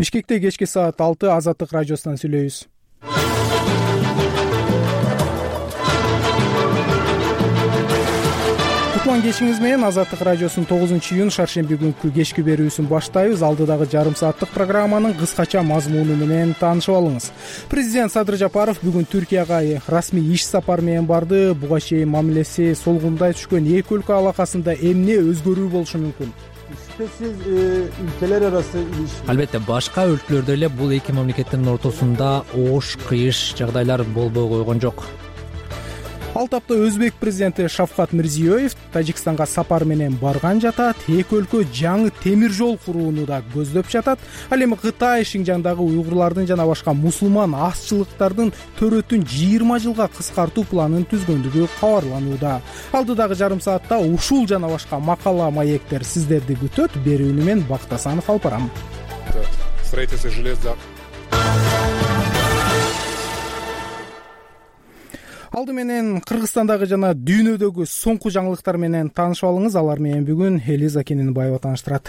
Бишкекте кечки саат 6 Азаттык радиосунан сүйлөйбүз. Кутман кечиңиз менен Азаттык радиосунун 9-июнь шаршемби күнкү кечки берүүсүн баштайбыз. Алдыдагы жарым сааттык программанын кыскача мазмуну менен таанышып алыңыз. Президент Садыр Жапаров бүгүн Түркияга расмий иш сапары менен барды. Буга чейин мамилеси солгундай түшкөн эки өлкө алакасында эмне өзгөрүү болушу мүмкүн? Шүбөсүз ülkeler arası ilişki. Албетте башка өлкөлөрдө эле бул эки мамлекеттин ортосунда оош, кыйыш жагдайлар болбой койгон жок. Ал тапта Өзбек президенти Шавкат Мирзиёев Тажикстанга сапар менен барган жатат. Эки өлкө жаңы темир жол курууну да көздөп жатат. Ал эми Кытай Шинжаңдагы уйгурлардын жана башка мусулман азчылыктардын төрөтүн 20 жылга кыскартуу планын түзгөндүгү кабарланууда. Алдыдагы жарым саатта ушул жана башка макала маектер сиздерди күтөт. Берүүнү мен Бактасанов алып барам. Строительство железа. Алды менен Кыргызстандагы жана дүйнөдөгү соңку жаңылыктар менен таанышып алыңыз. Алар менен бүгүн Элиза Кененбаева тааныштырат.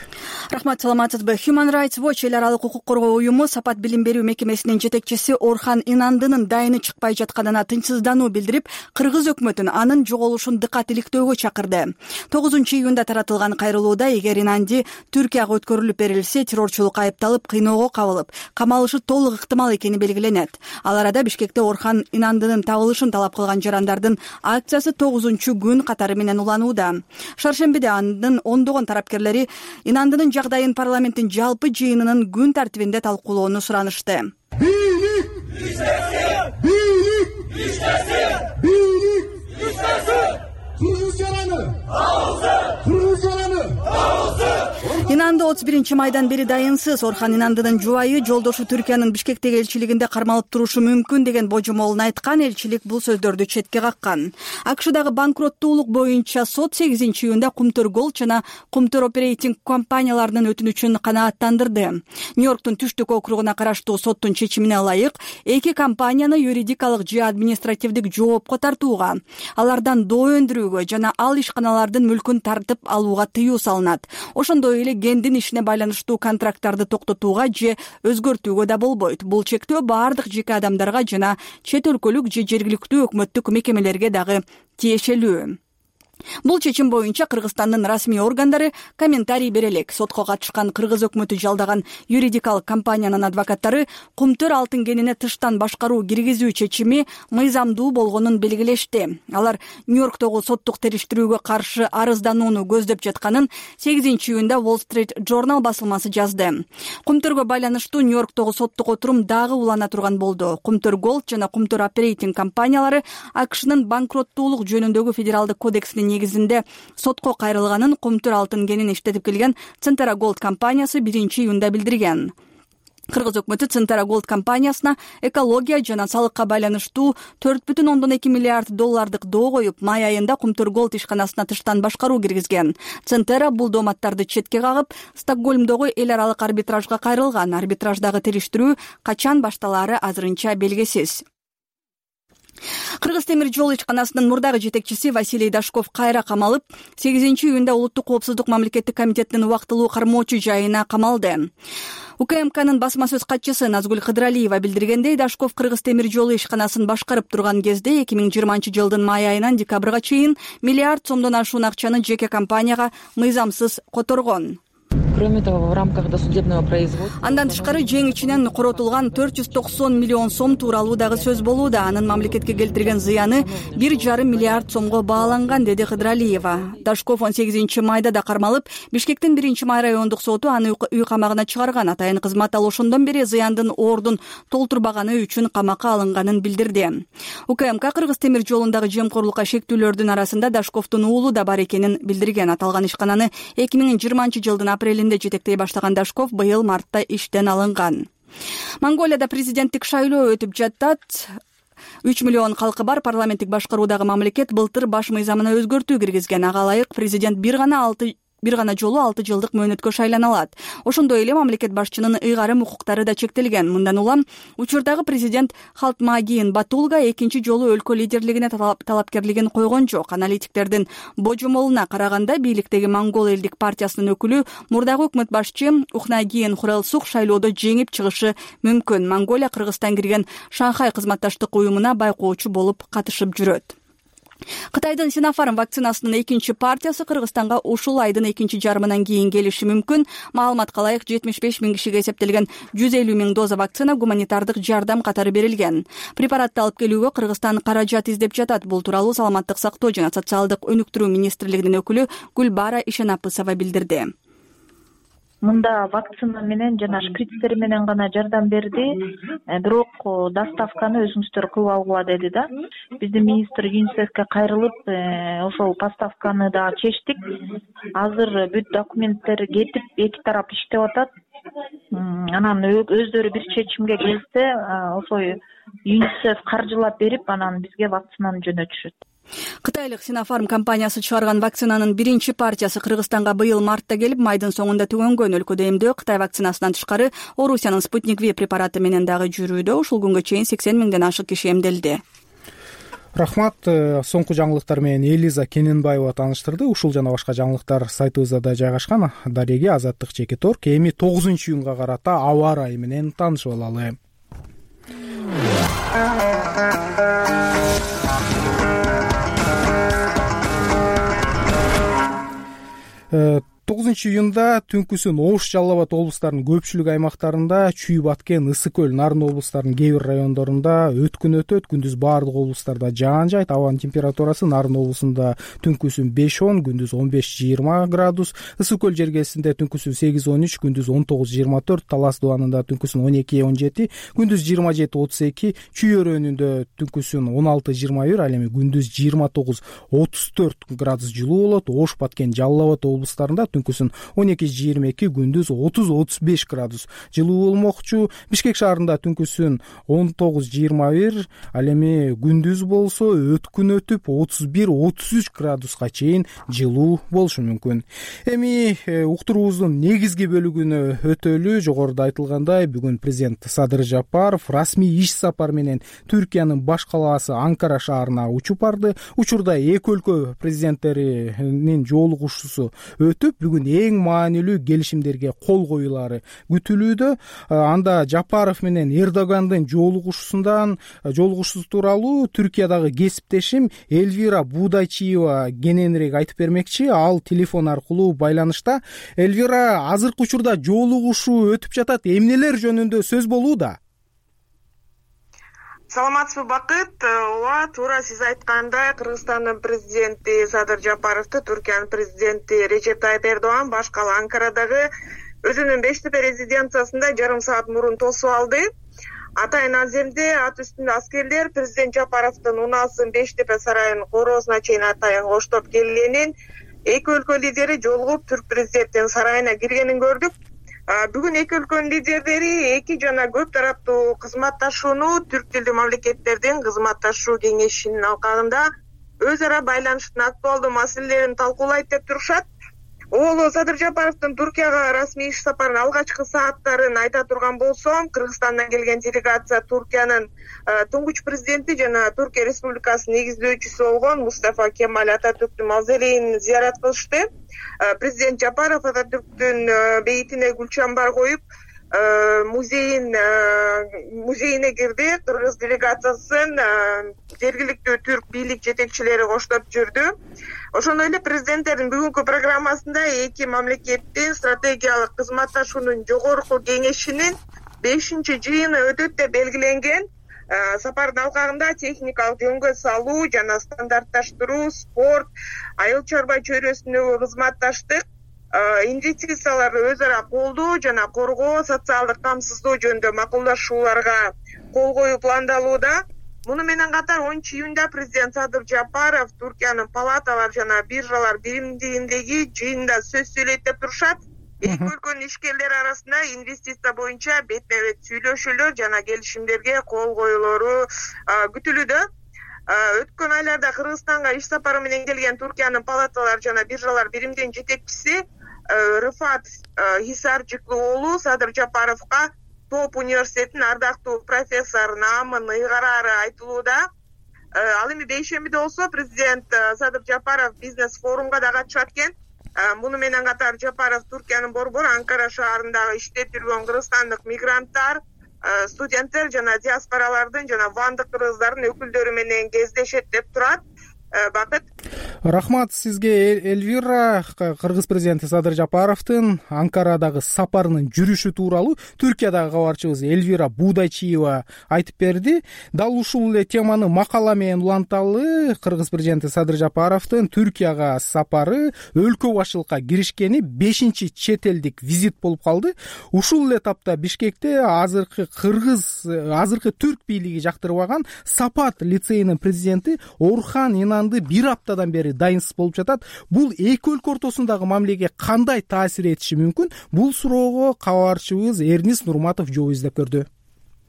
Рахмат, саламатсызбы? Human Rights Watch эл аралык укук коргоо уюму Сапат билим берүү мекемесинин жетекчиси Орхан Инандынын дайыны чыкпай жатканына тынчсыздануу билдирип, кыргыз өкмөтүн анын жоголушун дыкат иликтөөгө чакырды. 9-июнда таратылган кайрылууда эгер Инанди Түркияга өткөрүлүп берилсе, террорчулукка айыпталып, кыйноого кабылып, камалышы толук ыктымал экени белгиленет. Ал арада Бишкекте Орхан Инандынын табылышын талап кылган жарандардын акциясы 9-күн катары менен уланууда. Шаршембиде анын ондогон тарапкерлери Инандынын жагдайын парламенттин жалпы жыйынынын күн тартибинде талкуулоону суранышты. Инанды 31-майдан бери дайынсыз. Орхан Инандынын жубайы жолдошу Түркиянын Бишкектеги элчилигинде кармалып турушу мүмкүн деген божомолун айткан. Элчилик бул сөздөрдү четке каккан. АКШдагы банкроттуулук боюнча сот 8-июнда Кумтөр Голд жана Кумтөр Оперейтинг компанияларынын өтүнүчүн канааттандырды. Нью-Йорктун түштүк округуна караштуу соттун чечимине ылайык эки компанияны юридикалык же административдик жоопко тартууга, алардан доо өндүрүүгө жана ал ишканалардын мүлкүн тартып алууга тыюу салынат. Ошондой эле гендин ишине байланыштуу контракттарды токтотууга же өзгөртүүгө да болбойт. Бул чектөө баардык жеке адамдарга жана чет өлкөлүк же жергиликтүү өкмөттүк мекемелерге дагы тиешелүү. Бул чечим боюнча Кыргызстандын расмий органдары комментарий бере элек. Сотко катышкан кыргыз өкмөтү жалдаган юридикалык компаниянын адвокаттары Кумтөр алтын кенине тыштан башкаруу киргизүү чечими мыйзамдуу болгонун белгилешти. Алар Нью-Йорктогу соттук териштирүүгө каршы арызданууну көздөп жатканын 8-июнда Wall Street Journal басылмасы жазды. Кумтөргө байланыштуу Нью-Йорктогу соттук отурум дагы улана турган болду. Кумтөр Голд жана Кумтөр Оперейтинг компаниялары АКШнын банкроттуулук жөнүндөгү федералдык кодексинин негизинде сотко кайрылганын Кумтөр алтын кенин иштетип келген Центера Голд компаниясы 1-июнда билдирген. Кыргыз өкмөтү Центера Голд компаниясына экология жана салыкка байланыштуу 4,2 миллиард доллардык доо коюп, май айында Кумтөр Голд ишканасына тыштан башкаруу киргизген. Центера бул дооматтарды четке кагып, Стокгольмдогу эл аралык арбитражга кайрылган. Арбитраждагы териштирүү качан башталаары азырынча белгисиз. Кыргыз темир жол ишканасынын мурдагы жетекчиси Василий Дашков кайра камалып, 8-июнда Улуттук коопсуздук мамлекеттик комитетинин убактылуу кармоочу жайына камалды. УКМКнын басма сөз катчысы Назгүл Кыдыралиева билдиргендей, Дашков Кыргыз темир жолу ишканасын башкарып турган кезде 2020-жылдын май айынан декабрга чейин миллиард сомдон ашуун акчаны жеке компанияга мыйзамсыз которгон. Кроме того, в рамках досудебного производства андан тышкары жең ичинен коротулган 490 миллион сом тууралуу дагы сөз болууда. Анын мамлекетке келтирген зыяны 1,5 миллиард сомго бааланган, деди Кыдыралиева. Дашков 18-майда да кармалып, Бишкектин 1-май райондук соту аны үй камагына чыгарган. Атайын кызмат ал ошондон бери зыяндын ордун толтурбаганы үчүн камакка алынганын билдирди. УКМК Кыргыз темир жолундагы жемкорлукка шектүүлөрдүн арасында Дашковдун уулу да бар экенин билдирген. Аталган ишкананы 2020-жылдын апрелинде жетектей баштаган Дашков быйыл мартта иштен алынган. Монголияда президенттик шайлоо өтүп жатат. 3 миллион калкы бар парламенттик башкаруудагы мамлекет былтыр баш мыйзамына өзгөртүү киргизген. Ага ылайык президент бир гана бир гана жолу 6 жылдык мөөнөткө шайлана алат. Ошондой эле мамлекет башчынын ыйгарым укуктары да чектелген. Мындан улам учурдагы президент Халтмаагийн Батулга экинчи жолу өлкө лидерлигине талапкерлигин койгон жок. Аналитиктердин божомолуна караганда бийликтеги Монгол элдик партиясынын өкүлү мурдагы өкмөт башчы Ухнаагийн Хурэлсук шайлоодо жеңип чыгышы мүмкүн. Монголия Кыргызстан кирген Шанхай кызматташтык уюмуна байкоочу болуп катышып жүрөт. Кытайдын Sinopharm вакцинасынын экинчи партиясы Кыргызстанга ушул айдын экинчи жарымынан кийин келиши мүмкүн. Маалыматка ылайык 75 000 кишиге эсептелген 150 000 доза вакцина гуманитардык жардам катары берилген. Препаратты алып келүүгө Кыргызстан каражат издеп жатат. Бул тууралуу Саламаттык сактоо жана социалдык өнүктүрүү министрлигинин өкүлү Гүлбара Ишенапысова билдирди. Мында вакцина менен жана шприцтер менен гана жардам берди, бирок доставканы өзүңүздөр кылып алгыла деди да. Биздин министр ЮНИСЕФке кайрылып, ошол поставканы да чечтик. Азыр бүт документтер кетип, эки тарап иштеп атат. Анан өздөрү бир чечимге келсе, ошол ЮНИСЕФ каржылап берип, анан бизге вакцинаны жөнөтүшөт. Кытайлык Sinopharm компаниясы чыгарган вакцинанын биринчи партиясы Кыргызстанга быйыл мартта келип, майдын соңунда түгөнгөн. Өлкөдө эмдөө Кытай вакцинасынан тышкары Орусиянын Sputnik V препараты менен дагы жүрүүдө. Ушул күнгө чейин 80 000ден ашык киши эмделди. Рахмат. Соңку жаңылыктар менен Элиза Кененбаева тааныштырды. Ушул жана башка жаңылыктар сайтыбызда да жайгашкан. Дареги Азаттык чеки торк. Эми 9-июнга карата аба ырайы менен таанышып алалы. 9-июнда түнкүсүн Ош, Жалал Абад облустарынын көпчүлүк аймактарында, Чүй, Баткен, Ысык көл, Нарын облустарынын кээ бир райондорунда өткүн өтөт. Күндүз баардык облустарда жаан жайт. Абанын температурасы Нарын облусунда түнкүсүн 5-10, күндүз 15-20 градус. Ысык көл жергесинде түнкүсүн 8-13, күндүз 19-24, Талас дубанында түнкүсүн 12-17, күндүз 27-32, Чүй өрөөнүндө түнкүсүн 16-21, ал эми күндүз 29-34 градус жылуу болот. Ош, Баткен, Жалал Абад облустарында түнкүсүн 12-22, күндүз 30-35 градус жылуу болмокчу. Бишкек шаарында түнкүсүн 19-21, ал эми күндүз болсо өткүн өтүп 31-33 градуска чейин жылуу болушу мүмкүн. Эми уктуруубуздун негизги бөлүгүнө өтөлү. Жогоруда айтылгандай, бүгүн президент Садыр Жапаров расмий иш сапар менен Түркиянын баш калаасы Анкара шаарына учуп барды. Учурда эки өлкө президенттеринин жолугушуусу өтүп, бүгүн эң маанилүү келишимдерге кол коюлары күтүлүүдө. Анда Жапаров менен Эрдогандын жолугушуусу тууралуу Түркиядагы кесиптешим Эльвира Будайчиева кененирээк айтып бермекчи. Ал телефон аркылуу байланышта. Эльвира, азыркы учурда жолугушуу өтүп жатат. Эмнелер жөнүндө сөз болууда? Саламатсызбы, Бакыт. Ооба, туура сиз айткандай, Кыргызстандын президенти Садыр Жапаровду Түркиянын президенти Режеп Тайып Эрдоган баш кала Анкарадагы өзүнүн Бештепе резиденциясында жарым саат мурун тосуп алды. Атайын аземде ат үстүндө аскерлер президент Жапаровдун унаасын Бештепе сарайынын короосуна чейин атайын коштоп келгенин, эки өлкө лидери жолугуп түрк президентинин сарайына киргенин көрдүк. Бүгүн эки өлкөнүн лидерлери эки жана көп тараптуу кызматташууну түрк тилдүү мамлекеттердин кызматташуу кеңешинин алкагында өз ара байланыштын актуалдуу маселелерин талкуулайт деп турушат. Садыр Жапаровдун Туркияга расмий иш сапарынын алгачкы сааттарын айта турган болсом, Кыргызстандан келген делегация Туркиянын туңгуч президенти жана Түркия Республикасынын негиздөөчүсү болгон Мустафа Кемаль Ататүрктүн мавзолейин зыярат кылышты. Президент Жапаров Ататүрктүн бейитине гүл чамбар коюп, музейине кирди. Кыргыз делегациясын жергиликтүү түрк бийлик жетекчилери коштоп жүрдү. Ошондой эле президенттердин бүгүнкү программасында эки мамлекеттин стратегиялык кызматташуунун жогорку кеңешинин 5-чи жыйыны өтөт деп белгиленген. Сапардын алкагында техникалык жөнгө салуу жана стандартташтыруу, спорт, айыл чарба чөйрөсүндөгү кызматташтык, инвестицияларды өз ара колдоо жана коргоо, социалдык камсыздоо жөнүндө макулдашууларга кол коюу пландалууда. Муну менен катар 10-июнда президент Садыр Жапаров Түркиянын палаталар жана биржалар биримдигиндеги жыйында сөз сүйлөйт деп турушат. Эки өлкөнүн ишкерлери арасында инвестиция боюнча бетме-бет сүйлөшүүлөр жана келишимдерге кол коюлору күтүлүүдө. Өткөн айларда Кыргызстанга иш сапары менен келген Туркиянын палаталар жана биржалар биримдин жетекчиси Рыфат Хисарчыклуу уулу Садыр Жапаровго ТОП университетинин ардактуу профессор наамын ыйгараары айтылууда. Ал эми бейшембиде болсо президент Садыр Жапаров бизнес форумга да катышат экен. Муну менен катар Жапаров Туркиянын борбору Анкара шаарындагы иштеп жүргөн кыргызстандык мигранттар, студенттер жана диаспоралардын жана вандык кыргыздардын өкүлдөрү менен кездешет деп турат. Бакыт. Рахмат сизге, Эльвира. Кыргыз президенти Садыр Жапаровдун Анкарадагы сапарынын жүрүшү тууралуу Түркиядагы кабарчыбыз Эльвира Будайчиева айтып берди. Дал ушул эле теманы макала менен уланталы. Кыргыз президенти Садыр Жапаровдун Түркияга сапары өлкө башчылыкка киришкени 5-чи чет элдик визит болуп калды. Ушул эле тапта Бишкекте азыркы түрк бийлиги жактырбаган Сапат лицейинин президенти Орхан Инанды бир аптадан бери дайынсыз болуп жатат. Бул эки өлкө ортосундагы мамилеге кандай таасир этиши мүмкүн? Бул суроого кабарчыбыз Эрнис Нурматов жооп издеп көрдү.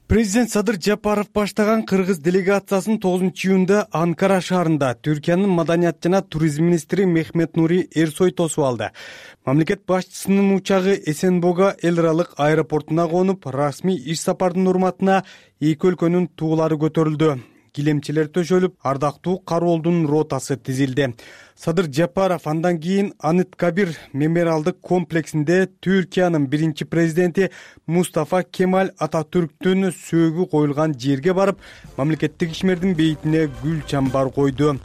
Президент Садыр Жапаров баштаган кыргыз делегациясын 9-июнда Анкара шаарында Түркиянын маданият жана туризм министри Мехмет Нури Эрсой тосуп алды. Мамлекет башчысынын учагы Эсенбога эл аралык аэропортуна конуп, расмий иш сапардын урматына эки өлкөнүн туулары көтөрүлдү. Килемчелер төшөлүп, ардактуу кароолдун ротасы тизилди. Садыр Жапаров андан кийин Аныт Кабир мемориалдык комплексинде Түркиянын биринчи президенти Мустафа Кемаль Ататүрктүн сөөгү коюлган жерге барып, мамлекеттик ишмердин бейитине гүл чамбар койду.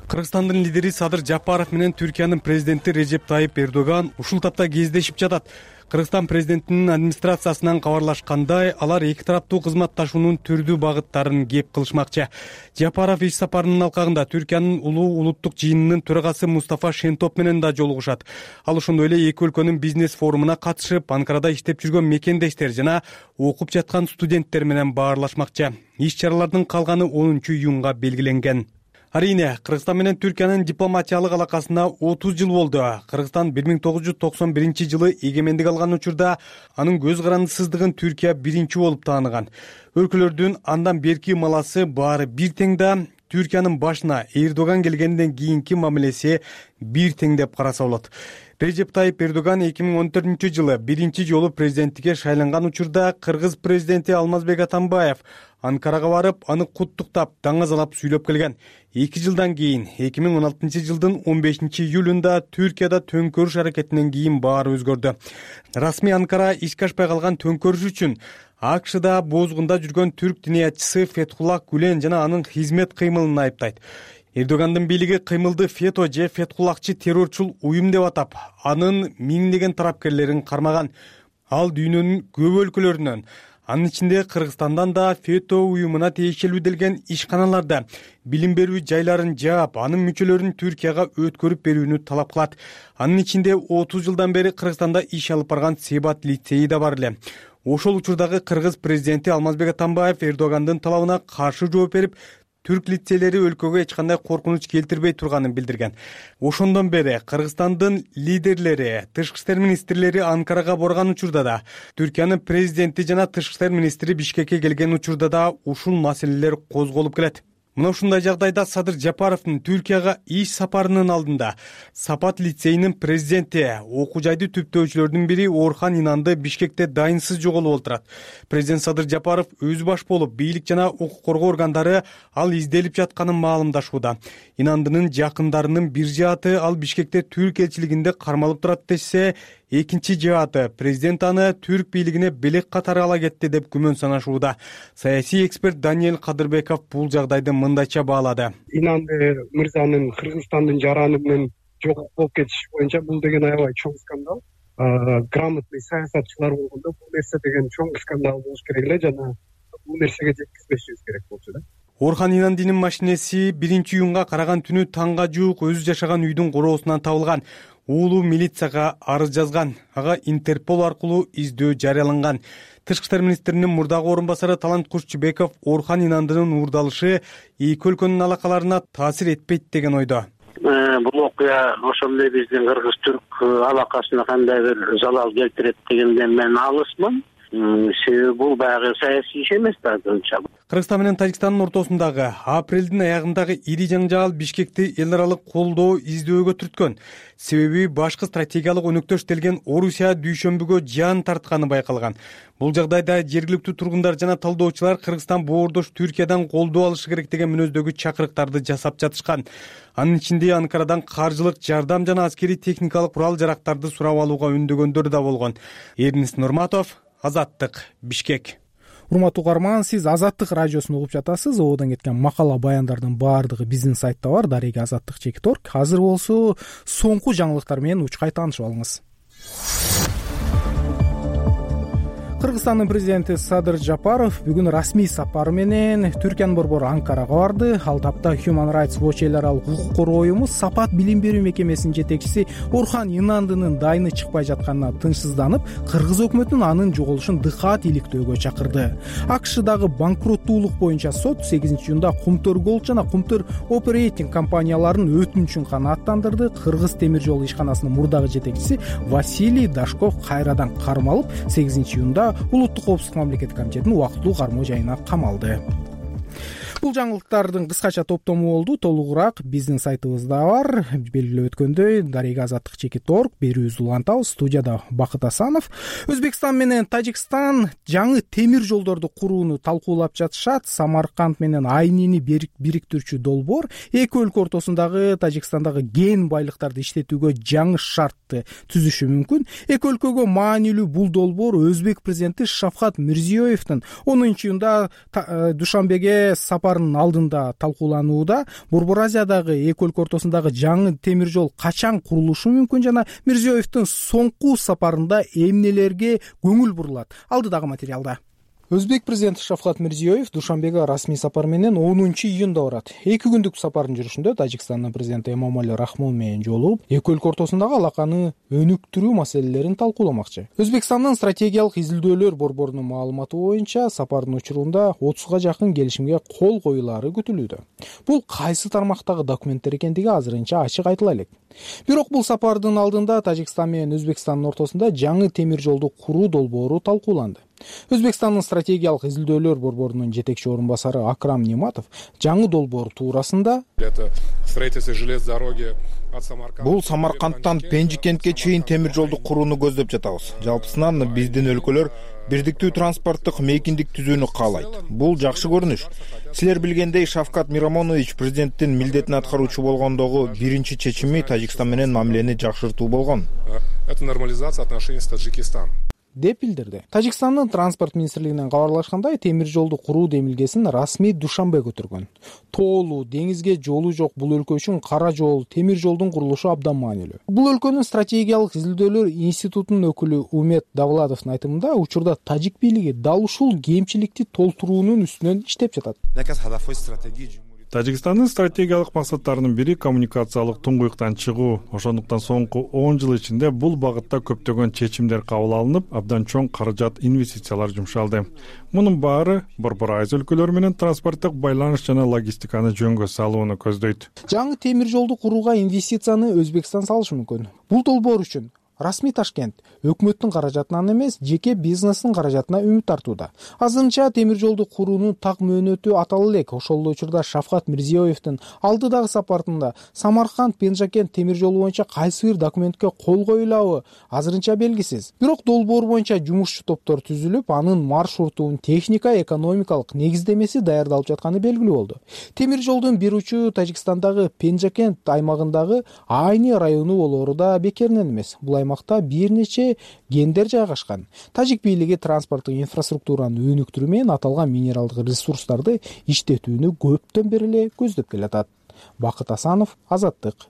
Кыргызстандын лидери Садыр Жапаров менен Түркиянын президенти Режеп Тайып Эрдоган ушул тапта кездешип жатат. Кыргызстан президентинин администрациясынан кабарлашкандай, алар эки тараптуу кызматташуунун түрдүү багыттарын кеп кылышмакчы. Жапаров иш сапарынын алкагында Түркиянын улуттук жыйынынын төрагасы Мустафа Шентоп менен да жолугушат. Ал ошондой эле эки өлкөнүн бизнес форумуна катышып, Анкарада иштеп жүргөн мекендештер жана окуп жаткан студенттер менен баарлашмакчы. Иш-чаралардын калганы 10-июнга белгиленген. Арийне, Кыргызстан менен Түркиянын дипломатиялык алакасына 30 жыл болду. Кыргызстан 1991 эгемендик алган учурда анын көз карандысыздыгын Түркия биринчи болуп тааныган. Өлкөлөрдүн андан берки маласы баары бир тең да, Түркиянын башына Эрдоган келгенден кийинки мамилеси бир тең деп караса болот. Режеп Тайып Эрдоган 2014 жылы биринчи жолу президенттикке шайланган учурда Кыргыз президенти Алмазбек Атамбаев Анкарага барып, аны куттуктап, даңазалап сүйлөп келген. 2 жылдан кийин 2016 жылдын 15 июлунда Түркияда төңкөрүш аракетинен кийин баары өзгөрдү. Расмий Анкара ишке ашпай калган төңкөрүш үчүн АКШда бозгунда жүргөн түрк диниятчысы Фетхуллах Гүлен жана анын хизмет кыймылын айыптайт. Эрдогандын бийлиги кыймылды фето же фетхуллахчы террорчул уюм деп атап, анын миңдеген тарапкерлерин кармаган. Ал дүйнөнүн көп өлкөлөрүнөн, анын ичинде Кыргызстандан да фето уюмуна тиешелүү делген ишканаларда билим берүү жайларын жаап, анын мүчөлөрүн Түркияга өткөрүп берүүнү талап кылат. Анын ичинде 30 жылдан бери Кыргызстанда иш алып барган Себат лицейи да бар эле. Ошол учурдагы Кыргыз президенти Алмазбек Атамбаев Эрдогандын талабына каршы жооп берип, түрк лицейлери өлкөгө эч кандай коркунуч келтирбей турганын билдирген. Ошондон бери Кыргызстандын лидерлери, тышкы иштер министрлери Анкарага барган учурда да, Түркиянын президенти жана тышкы иштер министри Бишкекке келген учурда да ушул маселелер козголуп келет. Мына ушундай жагдайда Садыр Жапаровдун Түркияга иш сапарынын алдында Сапат лицейинин президенти, окуу жайды түптөөчүлөрдүн бири Орхан Инанды Бишкекте дайынсыз жоголуп олтурат. Президент Садыр Жапаров өз баш болуп, бийлик жана укук коргоо органдары ал изделип жатканын маалымдашууда. Инандынын жакындарынын бир жааты ал Бишкекте түрк элчилигинде кармалып турат десе, экинчи жааты президент аны түрк бийлигине белек катары ала кетти деп күмөн санашууда. Саясий эксперт Даниэль Кадырбеков бул жагдайды мындайча баалады. Инанды мырзанын Кыргызстандын жараны менен жок болуп кетиши боюнча бул деген аябай чоң скандал. Грамотный саясатчылар болгондо бул нерсе деген чоң скандал болуш керек эле жана бул нерсеге жеткизбешибиз керек болчу да. Орхан Инандынын машинеси 1-июнга караган түнү таңга жуук өзү жашаган үйдүн короосунан табылган. Уулу милицияга арыз жазган. Ага Интерпол аркылуу издөө жарыяланган. Тышкы иштер министринин мурдагы орун басары Талант Кушчубеков Орхан Инандынын уурдалышы эки өлкөнүн алакаларына таасир этпейт деген ойдо. Бул окуя ошол эле биздин кыргыз-түрк алакасына кандай бир залал келтирет дегенден мен алысмын. себеби бул баягы саясий иш эмес да азырынча. Кыргызстан менен Тажикстандын ортосундагы апрелдин аягындагы ири жаңжал Бишкекти эл аралык колдоо издөөгө түрткөн. Себеби башкы стратегиялык өнөктөш делген Орусия дүйшөмбүгө жан тартканы байкалган. Бул жагдайда жергиликтүү тургундар жана талдоочулар Кыргызстан боордош Түркиядан колдоо алышы керек деген мүнөздөгү чакырыктарды жасап жатышкан. Анын ичинде Анкарадан каржылык жардам жана аскерий техникалык курал жарактарды сурап алууга үндөгөндөр да болгон. Эрнис Нурматов, Азаттык, Бишкек. Урматтуу угарман, сиз Азаттык радиосун угуп жатасыз. Ободон кеткен макала баяндардын баардыгы биздин сайтта бар. Дареги Азаттык.org. Азыр болсо соңку жаңылыктар менен учкай таанышып алыңыз. Кыргызстандын президенти Садыр Жапаров бүгүн расмий сапары менен Түркиянын борбору Анкарага барды. Ал тапта Human Rights Watch эл аралык укук коргоо уюму Сапат билим берүү мекемесинин жетекчиси Орхан Инандынын дайыны чыкпай жатканына тынчсызданып, кыргыз өкмөтүнүн анын жоголушун дыкаат иликтөөгө чакырды. АКШдагы банкроттуулук боюнча сот 8-июнда Кумтөр Голд жана Кумтөр Оперейтинг компанияларын өтүнүчүн канааттандырды. Кыргыз темир жол ишканасынын мурдагы жетекчиси Василий Дашков кайрадан кармалып, 8-июнда Улуттук коопсуздук мамлекеттик комитетинин убактылуу кармоо жайына камалды. Бул жаңылыктардын кыскача топтому болду. Толугураак биздин сайтыбызда бар. Белгилеп өткөндөй, Дареги Азаттык.org берүүбүздү улантабыз. Студияда Бакыт Асанов. Өзбекстан менен Тажикстан жаңы темир жолдорду курууну талкуулап жатышат. Самарканд менен Айнини бириктирүүчү долбоор эки өлкө ортосундагы Тажикстандагы кен байлыктарды иштетүүгө жаңы шартты түзүшү мүмкүн. Эки өлкөгө маанилүү бул долбоор Өзбек президенти Шавкат Мирзиёевдин 10-июнда Душанбеге сапарынын алдында талкууланууда. Борбор Азиядагы эки өлкө ортосундагы жаңы темир жол качан курулушу мүмкүн жана Мирзиёевдин соңку сапарында эмнелерге көңүл бурулат? Алдыдагы материалда. Өзбек президенти Шавкат Мирзиёев Душанбеге расмий сапар менен 10-июнда барат. 2 күндүк сапардын жүрүшүндө Тажикстандын президенти Эмомали Рахмон менен жолугуп, эки өлкө ортосундагы алаканы өнүктүрүү маселелерин талкууламакчы. Өзбекстандын стратегиялык изилдөөлөр борборунун маалыматы боюнча, сапардын учурунда 30га жакын келишимге кол коюлары күтүлүүдө. Бул кайсы тармактагы документтер экендиги азырынча ачык айтыла элек. Бирок бул сапардын алдында Тажикстан менен Өзбекстандын ортосунда жаңы темир жолду куруу долбоору талкууланды. Өзбекстандын стратегиялык изилдөөлөр борборунун жетекчи орун басары Акрам Нематов жаңы долбоор туурасында бул Самаркандтан Пенжикентке чейин темир жолду курууну көздөп жатабыз. Жалпысынан биздин өлкөлөр бирдиктүү транспорттук мейкиндик түзүүнү каалайт. Бул жакшы көрүнүш. Силер билгендей, Шавкат Мирамонович президенттин милдетин аткаруучу болгондогу биринчи чечими Тажикстан менен мамилени жакшыртуу болгон. Это нормализация отношений с Таджикистаном. деп билдирди. Тажикстандын транспорт министрлигинен кабарлашкандай, темир жолду куруу демилгесин расмий Душанбе көтөргөн. Тоолуу, деңизге жолу жок бул өлкө үчүн кара жол, темир жолдун курулушу абдан маанилүү. Бул өлкөнүн стратегиялык изилдөөлөр институтунун өкүлү Умет Давладовдун айтымында, учурда тажик бийлиги дал ушул кемчиликти толтуруунун үстүнөн иштеп жатат. Тажикстандын стратегиялык максаттарынын бири коммуникациялык туңгуюктан чыгуу. Ошондуктан соңку 10 жыл ичинде бул багытта көптөгөн чечимдер кабыл алынып, абдан чоң каражат, инвестициялар жумшалды. Мунун баары Борбор Азия өлкөлөрү менен транспорттук байланыш жана логистиканы жөнгө салууну көздөйт. Жаңы темир жолду курууга инвестицияны Өзбекстан салышы мүмкүн. Бул долбоор үчүн расмий Ташкент өкмөттүн каражатынан эмес, жеке бизнестин каражатына үмүт артууда. Азырынча темир жолду куруунун так мөөнөтү атала элек. Ошол учурда Шавкат Мирзиёевдин алдыдагы сапарында Самарканд Пенжикент темир жолу боюнча кайсы бир документке кол коюлабы азырынча белгисиз. Бирок долбоор боюнча жумушчу топтор түзүлүп, анын маршрутунун техника, экономикалык негиздемеси даярдалып жатканы белгилүү болду. Темир жолдун бир учу Тажикстандагы Пенжикент аймагындагы Айни району болоору да бекеринен эмес. Бул аймакта бир нече кендер жайгашкан. Тажик бийлиги транспорттук инфраструктураны өнүктүрүү менен аталган минералдык ресурстарды иштетүүнү көптөн бери эле көздөп келатат. Бакыт Асанов, Азаттык.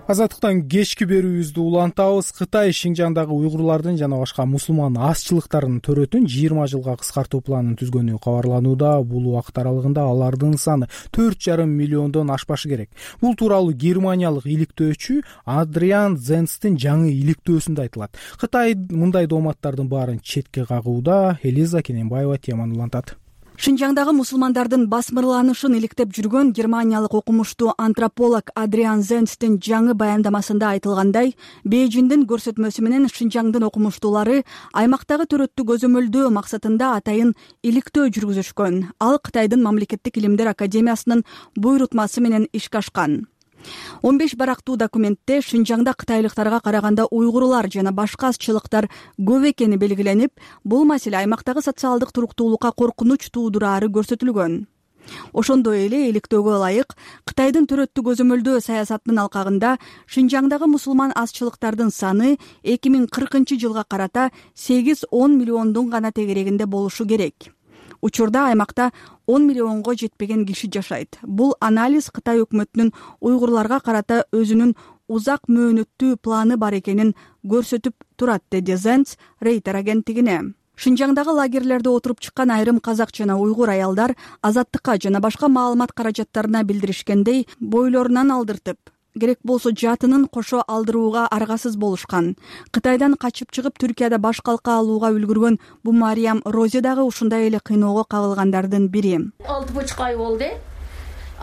Азаттыктан кечки берүүбүздү улантабыз. Кытай Шинжаңдагы уйгурлардын жана башка мусулман азчылыктардын төрөтүн 20 жылга кыскартуу планын түзгөнү кабарланууда. Бул убакыт аралыгында алардын саны 4,5 миллиондон ашпашы керек. Бул тууралуу германиялык иликтөөчү Адриан Зенстин жаңы иликтөөсүндө айтылат. Кытай мындай дооматтардын баарын четке кагууда. Элиза Кененбаева теманы улантат. Шинжаңдагы мусулмандардын басмырланышын иликтеп жүргөн германиялык окумуштуу антрополог Адриан Зенстин жаңы баяндамасында айтылгандай, Бейжиңдин көрсөтмөсү менен Шинжаңдын окумуштуулары аймактагы төрөттү көзөмөлдөө максатында атайын иликтөө жүргүзүшкөн. Ал Кытайдын Мамлекеттик илимдер академиясынын буйрутмасы менен ишке ашкан. 15 барактуу документте Шинжаңда кытайлыктарга караганда уйгурлар жана башка азчылыктар көп экени белгиленип, бул маселе аймактагы социалдык туруктуулукка коркунуч туудурары көрсөтүлгөн. Ошондой эле иликтөөгө ылайык Кытайдын төрөттү көзөмөлдөө саясатынын алкагында Шинжаңдагы мусулман азчылыктардын саны 2040 жылга карата 8-10 миллиондун гана тегерегинде болушу керек. Учурда аймакта 10 миллионго жетпеген киши жашайт. Бул анализ Кытай өкмөтүнүн уйгурларга карата өзүнүн узак мөөнөттүү планы бар экенин көрсөтүп турат, деди Зенц Рейтер агенттигине. Шинжаңдагы лагерлерде отуруп чыккан айрым казак жана уйгур аялдар Азаттыкка жана башка маалымат каражаттарына билдиришкендей, бойлорунан алдыртып, керек болсо жатынын кошо алдырууга аргасыз болушкан. Кытайдан качып чыгып Түркияда баш калка алууга үлгүргөн бу Мариям Розе дагы ушундай эле кыйноого кабылгандардын бири. 6,5 ай болду.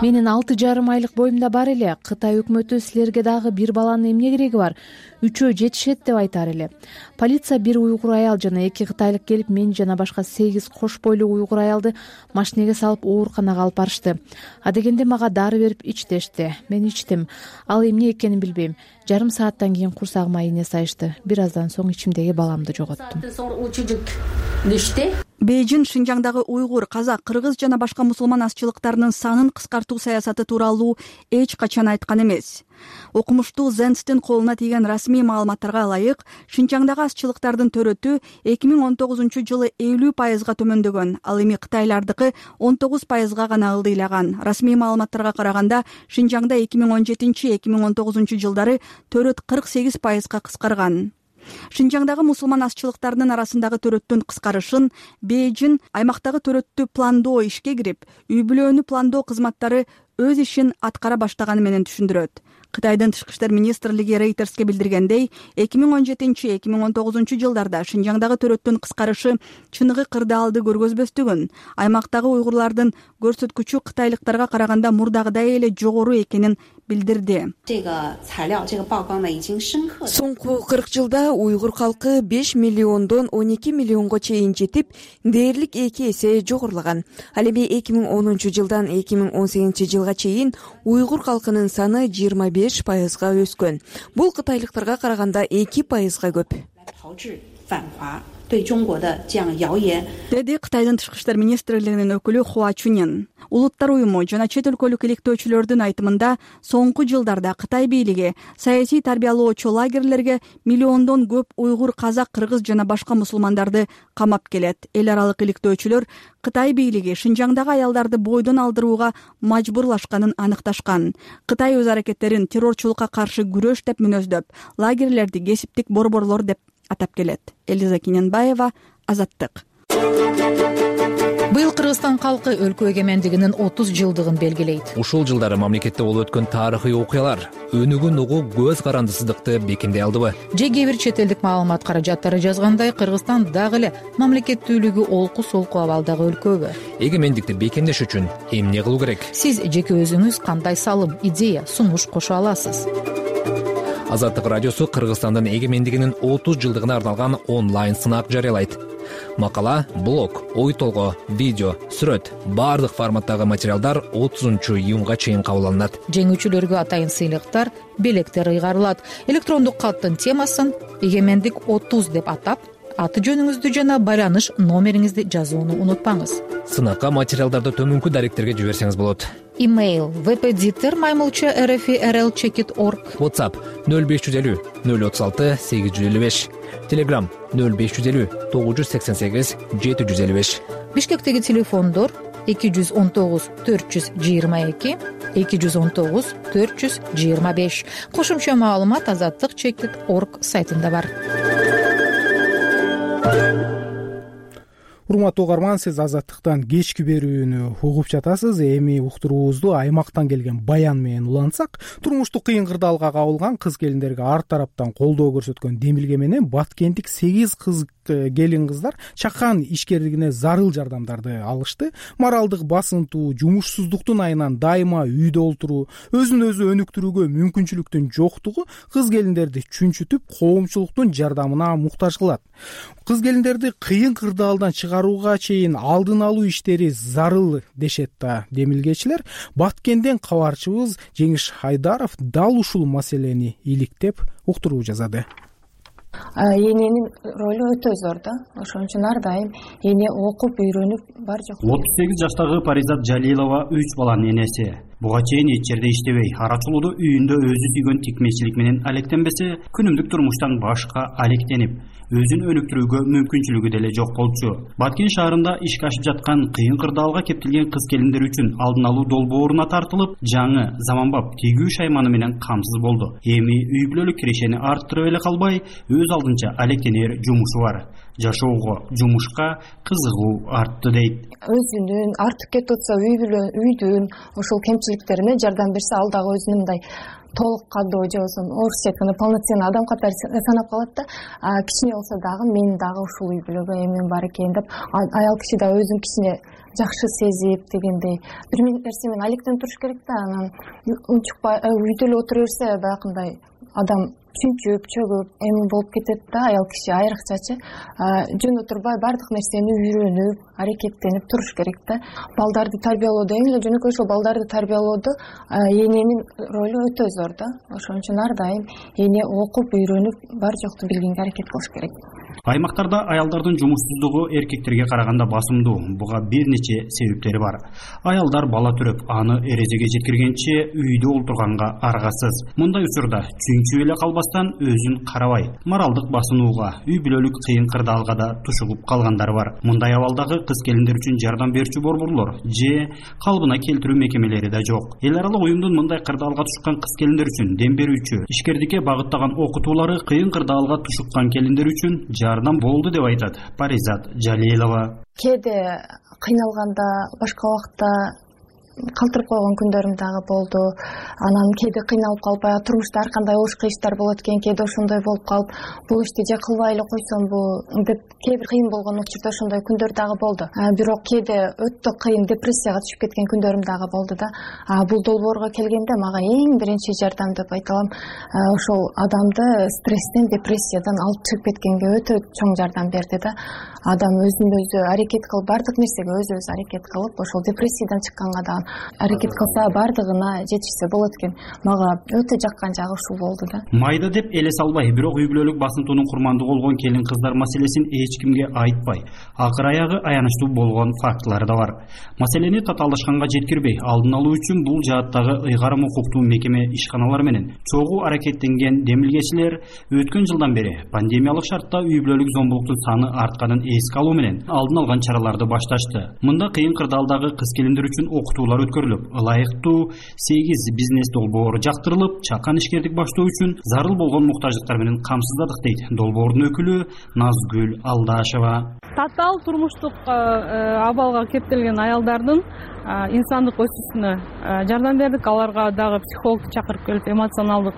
Менин 6,5 айлык боюмда бар эле. Кытай өкмөтү силерге дагы бир баланын эмне кереги бар? 3 жетишет деп айтар эле. Полиция бир уйгур аял жана 2 кытайлык келип, мен жана башка 8 кош бойлуу уйгур аялды машинеге салып ооруканага алып барышты. Адегенде мага дары берип ич дешти. Мен ичтим. Ал эмне экенин билбейм. Жарым сааттан кийин курсагыма ийне сайышты. Бир аздан соң ичимдеги баламды жоготтум. Бейжиң Шинжаңдагы уйгур, казак, кыргыз жана башка мусулман азчылыктарынын санын кыскартуу саясаты тууралуу эч качан айткан эмес. Окумуштуу Зенстин колуна тийген расмий маалыматтарга ылайык, Шинжаңдагы азчылыктардын төрөтү 2019 жылы 50% төмөндөгөн, ал эми кытайлардыкы 19% гана ылдыйлаган. Расмий маалыматтарга караганда, Шинжаңда 2017-2019 жылдары төрөт 48% кыскарган. Шинжаңдагы мусулман азчылыктарынын арасындагы төрөттүн кыскарышын Бейжиң аймактагы төрөттү пландоо ишке кирип, үй-бүлөнү пландоо кызматтары өз ишин аткара баштаганы менен түшүндүрөт. Кытайдын Тышкы иштер министрлиги Рейтерске билдиргендей, 2017-2019 жылдарда Шинжаңдагы төрөттүн кыскарышы чыныгы кырдаалды көргөзбөстүгүн, аймактагы уйгурлардын көрсөткүчү кытайлыктарга караганда мурдагыдай эле жогору экенин билдирди. Соңку 40 жылда уйгур калкы 5 миллиондон 12 миллионго чейин жетип, дээрлик 2 эсе жогорулаган. Ал эми 2010 жылдан 2018 жылга чейин уйгур калкынын саны 25%га өскөн. Бул кытайлыктарга караганда 2%га көп. Деди Кытайдын Тышкы иштер министрлигинин өкүлү Хуа Чунин. Улуттар уюму жана чет өлкөлүк иликтөөчүлөрдүн айтымында, соңку жылдарда Кытай бийлиги саясий тарбиялоочу лагерлерге миллиондон көп уйгур, казак, кыргыз жана башка мусулмандарды камап келет. Эл аралык иликтөөчүлөр Кытай бийлиги Шинжаңдагы аялдарды бойдон алдырууга мажбурлашканын аныкташкан. Кытай өз аракеттерин террорчулукка каршы күрөш деп мүнөздөп, лагерлерди кесиптик борборлор деп атап келет. Элиза Киненбаева, Азаттык. Быйыл Кыргызстан калкы өлкө эгемендигинин 30 жылдыгын белгилейт. Ушул жылдары мамлекетте болуп өткөн тарыхый окуялар өнүгүн угуу көз карандысыздыкты бекемдей алдыбы? Же кээ бир чет элдик маалымат каражаттары жазгандай, Кыргызстан дагы эле мамлекеттүүлүгү олку-солку абалдагы өлкөбү? Эгемендикти бекемдеш үчүн эмне кылуу керек? Сиз жеке өзүңүз кандай салым, идея, сунуш кошо аласыз? Азаттык радиосу Кыргызстандын эгемендигинин 30 жылдыгына арналган онлайн сынак жарыялайт. Макала, блог, ой толгоо, видео, сүрөт, баардык форматтагы материалдар 30-июнга чейин кабыл алынат. Жеңүүчүлөргө атайын сыйлыктар, белектер ыйгарылат. Электрондук каттын темасын «Эгемендик 30» деп атап, аты жөнүңүздү жана байланыш номериңизди жазууну унутпаңыз. Сынакка материалдарды төмөнкү даректерге жиберсеңиз болот. Имейл vpditer@rlcheckit.org. WhatsApp 0550 036 855. Telegram 0550 988 755. Бишкектеги телефондор 219 422 219 425. Кошумча маалымат azattikchekit.org сайтында бар. урматтуу угарман, сиз Азаттыктан кечки берүүнү угуп жатасыз. Эми уктуруубузду аймактан келген баян менен улантсак, турмуштук кыйын кырдаалга кабылган кыз келиндерге ар тараптан колдоо көрсөткөн демилге менен Баткенттик 8 келин кыздар чакан ишкерлигине зарыл жардамдарды алышты. Моралдык басынтуу, жумушсуздуктун айынан дайыма үйдө олтуруу, өзүн өзү өнүктүрүүгө мүмкүнчүлүктүн жоктугу кыз келиндерди чүнчүтүп, коомчулуктун жардамына муктаж кылат. Кыз келиндерди кыйын кырдаалдан чыгарууга чейин алдын алуу иштери зарыл дешет да демилгечилер. Баткенден кабарчыбыз Жеңиш Айдаров дал ушул маселени иликтеп уктуруу жазады. Эненин ролу өтө зор да. Ошон үчүн ар дайым эне окуп үйрөнүп бар жок. 38 жаштагы Паризат Жалилова 3 баланын энеси. Буга чейин эч жерде иштебей, арачылоодо үйүндө өзү сүйгөн тикмечилик менен алектенбесе, күнүмдүк турмуштан башка алектенип, өзүн өнүктүрүүгө мүмкүнчүлүгү деле жок болчу. Баткен шаарында ишке ашып жаткан кыйын кырдаалга кептелген кыз келиндер үчүн алдын алуу долбооруна тартылып, жаңы заманбап тигүү шайманы менен камсыз болду. Эми үй бүлөлүк кирешени арттырып эле калбай, өз алдынча алектенер жумушу бар. Жашоого, жумушка кызыгуу артты дейт. Өзүнүн артып кетип атса үйдүн ошол кемчиликтерине жардам берсе, ал дагы өзүнүн мындай толук кандуу же болбосо орусча айтканда полноценный адам катары санап калат да. Кичине болсо дагы мен дагы ушул үй бүлөгө эмем бар экен деп, аял киши да өзүн кичине жакшы сезип дегендей бир нерсе менен алектенип туруш керек да. Анан унчукпай үйдө эле отура берсе, баягындай адам чүнчүп, чөгүп эми болуп кетет да. Аял киши айрыкчачы жөн отурбай бардык нерсени үйрөнүп, аракеттенип туруш керек да. Балдарды тарбиялоодо эң эле жөнөкөй ошол балдарды тарбиялоодо эненин ролу өтө зор да. Ошон үчүн ар дайым эне окуп, үйрөнүп, бар жокту билгенге аракет кылыш керек. Аймактарда аялдардын жумушсуздугу эркектерге караганда басымдуу. Буга бир нече себептери бар. Аялдар бала төрөп, аны эрежеге жеткиргенче үйдө олтурганга аргасыз. Мындай учурда чүнчүп эле калбастан өзүн карабай, моралдык басынууга, үй бүлөлүк кыйын кырдаалга да тушугуп калгандар бар. Мындай абалдагы кыз келиндер үчүн жардам берүүчү борборлор же калыбына келтирүү мекемелери да жок. Эл аралык уюмдун мындай кырдаалга тушкан кыз келиндер үчүн дем берүүчү, ишкердикке багыттаган окутуулары кыйын кырдаалга тушуккан келиндер үчүн жардам болду деп айтат Паризат Жалилова. Кээде кыйналганда, башка убакта калтырып койгон күндөрүм дагы болду. Анан кээде кыйналып калып, турмушта ар кандай ош кыйыштар болот экен, кээде ошондой болуп калып, бул ишти же кылбай эле койсомбу деп кээ бир кыйын болгон учурда ошондой күндөр дагы болду. Бирок кээде өтө кыйын депрессияга түшүп кеткен күндөрүм дагы болду да. Бул долбоорго келгенде мага эң биринчи жардам деп айта алам, ошол адамды стресстен, депрессиядан алып чыгып кеткенге өтө чоң жардам берди да. Адам өзүн өзү аракет кылып, бардык нерсеге өзү аракет кылып, ошол депрессиядан чыкканга да аракет кылса бардыгына жетишсе болот экен. Мага өтө жаккан жагы ушул болду да. Майда деп эле салбай, бирок үй бүлөлүк басынтуунун курмандыгы болгон келин кыздар маселесин эч кимге айтпай, акыр аягы аянычтуу болгон фактылар да бар. Маселени татаалдашканга жеткирбей, алдын алуу үчүн бул жааттагы ыйгарым укуктуу мекеме ишканалар менен чогуу аракеттенген демилгечилер өткөн жылдан бери пандемиялык шартта үй бүлөлүк зомбулуктун саны артканын эске алуу менен алдын алган чараларды башташты. Мында кыйын кырдаалдагы кыз келиндер үчүн окутуулар өткөрүлүп, ылайыктуу 8 бизнес долбоору жактырылып, чакан ишкердик баштоо үчүн зарыл болгон муктаждыктар менен камсыздадык дейт долбоордун өкүлү Назгүл Алдашева. Татаал турмуштук абалга кептелген аялдардын инсандык өсүүсүнө жардам бердик. Аларга дагы психологду чакырып келип, эмоционалдык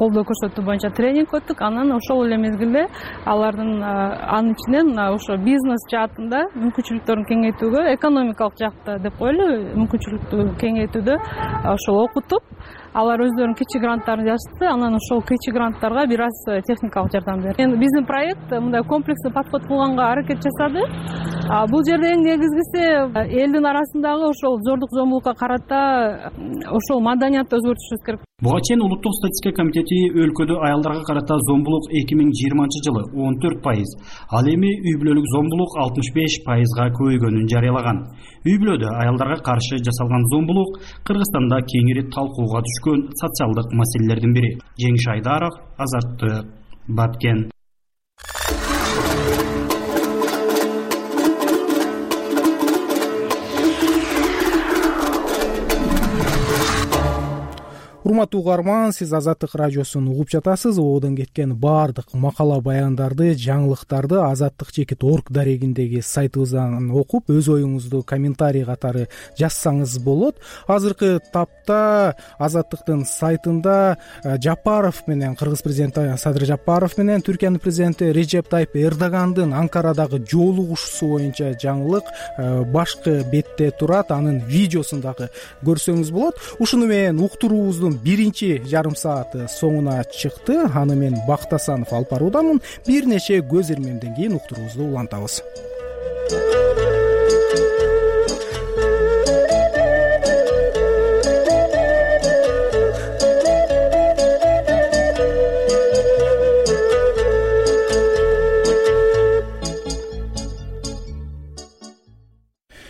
колдоо көрсөтүү боюнча тренинг өттүк. Анан ошол эле мезгилде алардын анын ичинен ошо бизнес жаатында мүмкүнчүлүктөрүн кеңейтүүгө, экономикалык жакта деп коелу, мүмкүнчүлүктү кеңейтүүдө ошол окутуп, алар өздөрүнүн кичи гранттарын жазышты. Анан ошол кичи гранттарга бир аз техникалык жардам берди. Эми биздин проект мындай комплекстүү подход кылганга аракет жасады. Бул жерде эң негизгиси элдин арасындагы ошол зордук зомбулукка карата ошол маданиятты өзгөртүшүбүз керек. Буга чейин улуттук статистика комитети өлкөдө аялдарга карата зомбулук 2020 жылы 14%, ал эми үй бүлөлүк зомбулук 65%га көбөйгөнүн жарыялаган. Үй бүлөдө аялдарга каршы жасалган зомбулук Кыргызстанда кеңири талкууга түшкөн социалдык маселелердин бири. Жеңиш Айдаров, Азаттык, Баткен. урматтуу угарман, сиз Азаттык радиосун угуп жатасыз. Ободон кеткен баардык макала баяндарды, жаңылыктарды azattik.org дарегиндеги сайтыбыздан окуп, өз оюңузду комментарий катары жазсаңыз болот. Азыркы тапта Азаттыктын сайтында Жапаров менен, Кыргыз президенти Садыр Жапаров менен Түркиянын президенти Режеп Тайып Эрдогандын Анкарадагы жолугушуусу боюнча жаңылык башкы бетте турат. Анын видеосун дагы көрсөңүз болот. Ушуну менен уктуруубуздун биринчи жарым сааты соңуна чыкты. Аны мен Бактасанов алып баруудамын. Бир нече көз ирмемден кийин уктуруубузду улантабыз.